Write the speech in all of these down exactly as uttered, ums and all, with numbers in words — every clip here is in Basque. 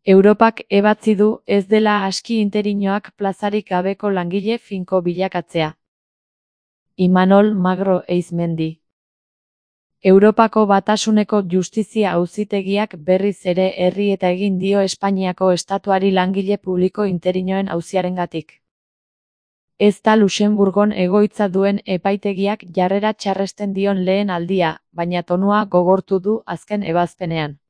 Europak ebatzi du ez dela aski interinoak plazarik gabeko langile finko bilakatzea. Imanol Magro Eizmendi. Europako Batasuneko Justizia Auzitegiak berriz ere herri eta egin dio Espainiako estatuari langile publiko interinoen auziarengatik. Ez da Luxenburgon egoitza duen epaitegiak jarrera txarresten dion lehen aldia, baina tonua gogortu du azken ebazpenean.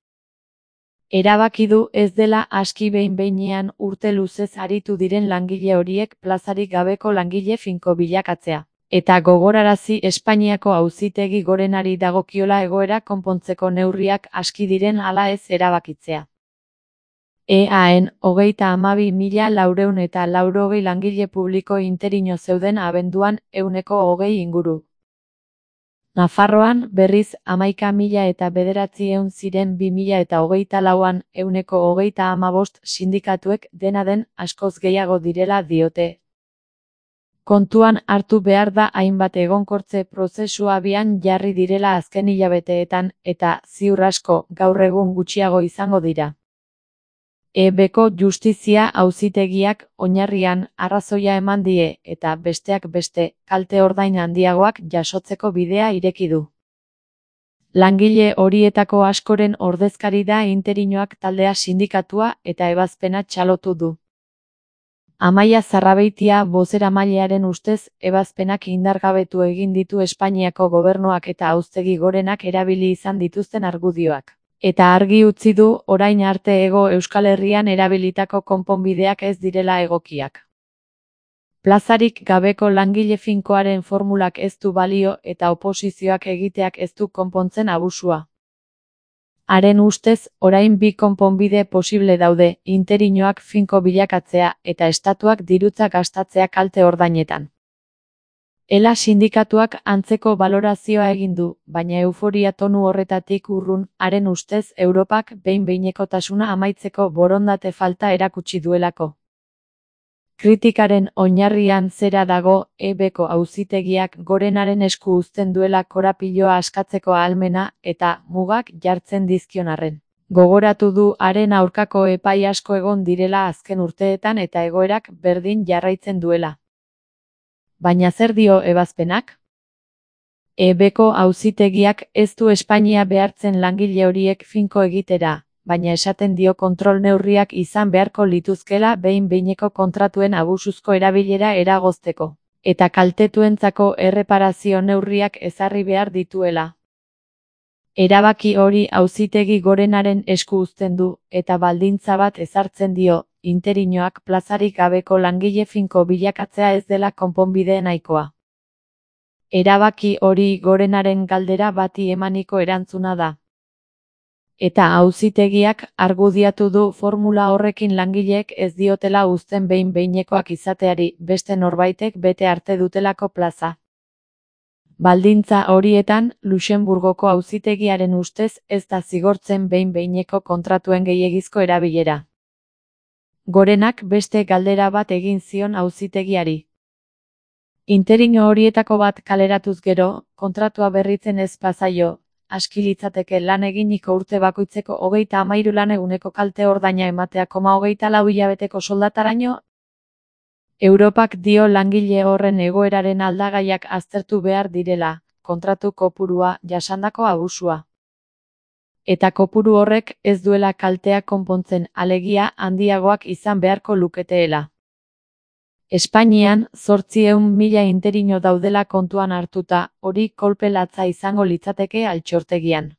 Erabaki du ez dela aski behin-behinean urte luzez aritu diren langile horiek plazarik gabeko langile finko bilakatzea. Eta gogorarazi Espainiako Auzitegi Gorenari dagokiola egoera konpontzeko neurriak aski diren ala ez erabakitzea. Eaen hogeita hamabi mila laurehun eta laurogei langile publiko interino zeuden abenduan ehuneko hogei inguru. Nafarroan berriz hamaika mila eta bederatziehun ziren bi mila eta hogeita lauan ehuneko hogeita hamabost sindikatuek dena den askoz gehiago direla diote. Kontuan hartu behar da hainbat egonkortze prozesua abian jarri direla azken hilabeteetan eta ziur asko gaur egun gutxiago izango dira. E Bko Justizia Auzitegiak oinarrian arrazoia eman die eta besteak beste kalte ordain handiagoak jasotzeko bidea ireki du. Langile horietako askoren ordezkari da interinoak taldea sindikatua eta ebazpena txalotu du. Amaia Zarrabeitia bozeramailearen ustez ebazpenak indargabetu egin ditu Espainiako gobernuak eta Auzitegi Gorenak erabili izan dituzten argudioak. Eta argi utzi du orain arte Hego Euskal Herrian erabilitako konponbideak ez direla egokiak. Plazarik gabeko langile finkoaren formulak ez du balio eta oposizioak egiteak ez du konpontzen abusua. Haren ustez, orain bi konponbide posible daude, interinoak finko bilakatzea eta estatuak dirutza gastatzea kalte ordainetan. Ela sindikatuak antzeko balorazioa egin du, baina euforia tonu horretatik urrun, haren ustez Europak behin-behinekotasuna amaitzeko borondate falta erakutsi duelako. Kritikaren oinarrian zera dago, E Bko Auzitegiak Gorenaren esku uzten duela korapiloa askatzeko ahalmena eta mugak jartzen dizkion arren. Gogoratu du haren aurkako epai asko egon direla azken urteetan eta egoerak berdin jarraitzen duela. Baina zer dio ebazpenak? E Bko Auzitegiak ez du Espainia behartzen langile horiek finko egitera, baina esaten dio kontrol neurriak izan beharko lituzkela behin-behineko kontratuen abusuzko erabilera eragozteko, eta kaltetuentzako erreparazio neurriak ezarri behar dituela. Erabaki hori Auzitegi Gorenaren esku uzten du, eta baldintza bat ezartzen dio, interinoak plazarik gabeko langile finko bilakatzea ez dela konponbide nahikoa. Erabaki hori Gorenaren galdera bati emaniko erantzuna da. Eta Auzitegiak argudiatu du formula horrekin langileek ez diotela uzten behin-behinekoak izateari beste norbaitek bete arte dutelako plaza. Baldintza horietan, Luxenburgoko Auzitegiaren ustez ez da zigortzen behin-behineko kontratuen gehiegizko erabilera. Gorenak beste galdera bat egin zion Auzitegiari. Interino horietako bat kaleratuz gero, kontratua berritzen ez bazaio, aski litzateke lan eginiko urte bakoitzeko hogeita hamairu lan eguneko kalte ordaina ematea koma hogeita lau hilabeteko soldataraino. Europak dio langile horren egoeraren aldagaiak aztertu behar direla, kontratu kopurua, jasandako abusua. Eta kopuru horrek ez duela kaltea konpontzen, alegia handiagoak izan beharko luketeela. Espainian, zortziehun mila interino daudela kontuan hartuta, hori kolpe latza izango litzateke altxortegian.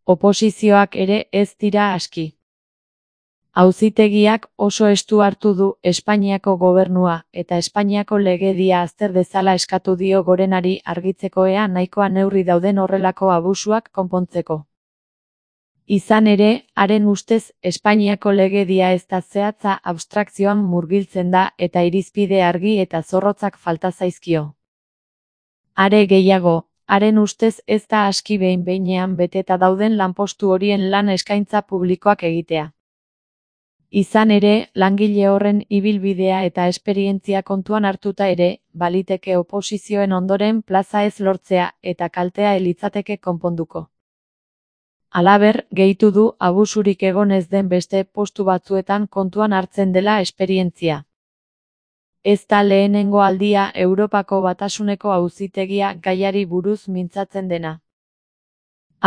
Oposizioak ere ez dira aski. Auzitegiak oso estu hartu du Espainiako gobernua eta Espainiako legedia azter dezala eskatu dio Gorenari argitzeko ea nahikoa neurri dauden horrelako abusuak konpontzeko. Izan ere, haren ustez Espainiako legedia ez da zehatza abstrakzioan murgiltzen da eta irizpide argi eta zorrotzak falta zaizkio. Are gehiago, haren ustez ez da aski behin-behinean beteta dauden lanpostu horien lan eskaintza publikoak egitea. Izan ere, langile horren ibilbidea eta esperientzia kontuan hartuta ere, baliteke oposizioen ondoren plaza ez lortzea eta kaltea elitzateke konponduko. Halaber, gehitu du abusurik egon ez den beste postu batzuetan kontuan hartzen dela esperientzia. Ez da lehenengo aldia Europako Batasuneko Auzitegia gaiari buruz mintzatzen dena.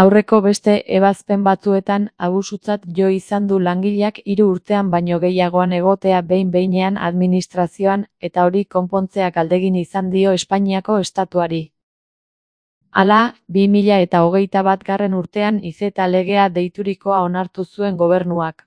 Aurreko beste ebazpen batzuetan abusutzat jo izan du langileak hiru urtean baino gehiagoan egotea behin-behinean administrazioan eta hori konpontzea galdegin izan dio Espainiako estatuari. Hala, bi mila eta hogeita batgarren urtean I Z legea deiturikoa onartu zuen gobernuak.